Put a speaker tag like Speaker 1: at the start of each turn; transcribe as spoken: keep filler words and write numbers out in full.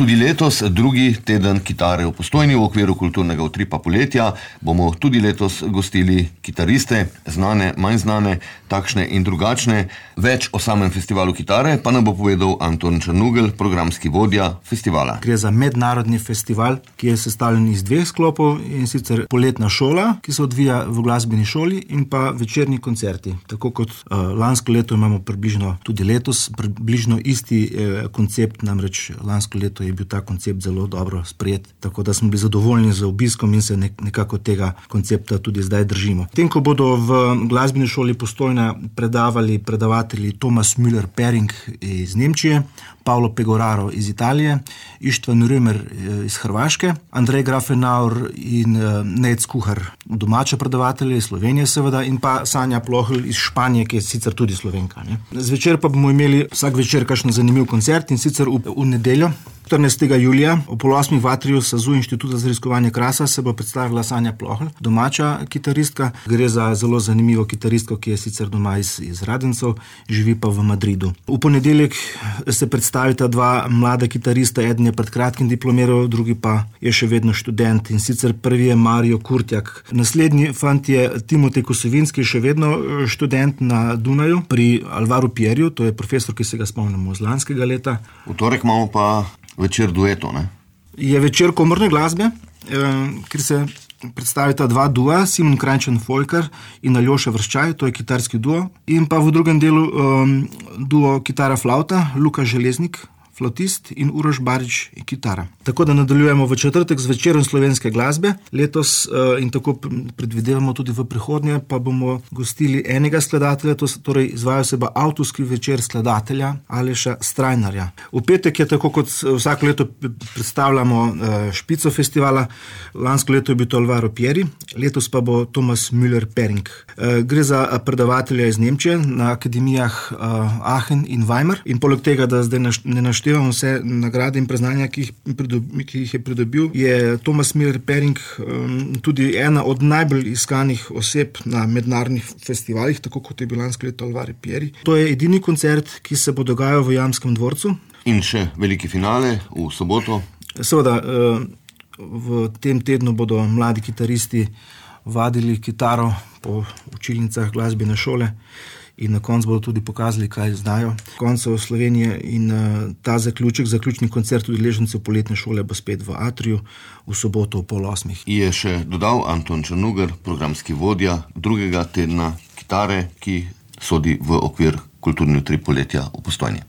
Speaker 1: Tudi letos, drugi teden kitare v Postojni v okviru kulturnega utripa poletja, bomo tudi letos gostili kitariste, znane, manj znane, takšne in drugačne. Več o samem festivalu kitare pa nam bo povedal Anton Črnugelj, programski vodja festivala.
Speaker 2: Gre za mednarodni festival, ki je sestavljen iz dveh sklopov, in sicer poletna šola, ki se odvija v glasbeni šoli, in pa večerni koncerti. Tako kot uh, lansko leto imamo približno tudi letos, približno isti eh, koncept, namreč lansko leto je bil ta koncept zelo dobro sprejet, tako da smo bili zadovoljni z obiskom in se nekako tega koncepta tudi zdaj držimo. Tem, ko bodo v glasbeni šoli Postojna predavali predavatelji Thomas Müller-Pering iz Nemčije, Paolo Pegoraro iz Italije, Ištvan Römer iz Hrvaške, Andrej Grafenauer in Nec Kuhar, domače predavatelje iz Slovenije seveda, in pa Sanja Plohl iz Španije, ki je sicer tudi Slovenka. Ne? Zvečer pa bomo imeli vsak večer kakšen zanimiv koncert, in sicer v, v nedeljo, štirinajstega julija, ob pol osmih v atriju S A Z U Inštituta za raziskovanje krasa se bo predstavila Sanja Plohl, domača kitaristka. Gre za zelo zanimivo kitaristko, ki je sicer doma iz, iz Radencev, živi pa v Madridu. V ponedeljek se predstavita dva mlada kitarista, eden je pred kratkim diplomiral, drugi pa je še vedno študent, in sicer prvi je Mario Kurtjak. Naslednji fant je Timotej Kosovinski, še vedno študent na Dunaju pri Alvaru Pierju, to je profesor, ki se ga spomnimo z lanskega leta.
Speaker 1: V torek imamo pa večer dueto, ne?
Speaker 2: Je večer komorne glasbe, eh, kjer se predstavita dva dua, Simon Krajnčan-Folker in Aljoša Vrščaj, to je kitarski duo, in pa v drugem delu um, duo kitara-flauta, Luka Železnik, flautist, in Uroš Barič, kitara. Tako da nadaljujemo v četrtek z večerom slovenske glasbe. Letos uh, in tako predvidevamo tudi v prihodnje, pa bomo gostili enega skladatelja, to, torej izvaja se bo avtorski večer skladatelja Aleša Strajnarja. V petek je, tako kot vsako leto predstavljamo uh, špico festivala, lansko leto je bil to Alvaro Pieri, letos pa bo Thomas Müller-Pering. Uh, gre za predavatelja iz Nemčije na akademijah uh, Aachen in Weimar, in poleg tega, da zdaj naš, ne naštevam vse nagrade in priznanja, ki jih, pridobi, ki jih je pridobil, je Thomas Müller-Pering um, tudi ena od najbolj iskanih oseb na mednarodnih festivalih, tako kot je bil lansko leto Alvaro Pieri. To je edini koncert, ki se bo dogajal v Jamskem dvorcu.
Speaker 1: In še veliki finale v soboto.
Speaker 2: Seveda, v tem tednu bodo mladi kitaristi vadili kitaro po učilnicah glasbene šole in na koncu bodo tudi pokazali, kaj znajo. Koncev Slovenije in uh, ta zaključek, zaključni koncert udeležencev poletne šole bo spet v atriju v soboto v pol osmih.
Speaker 1: Je še dodal Anton Črnugelj, programski vodja drugega tedna kitare, ki sodi v okvir kulturni utrip poletja v Postojni.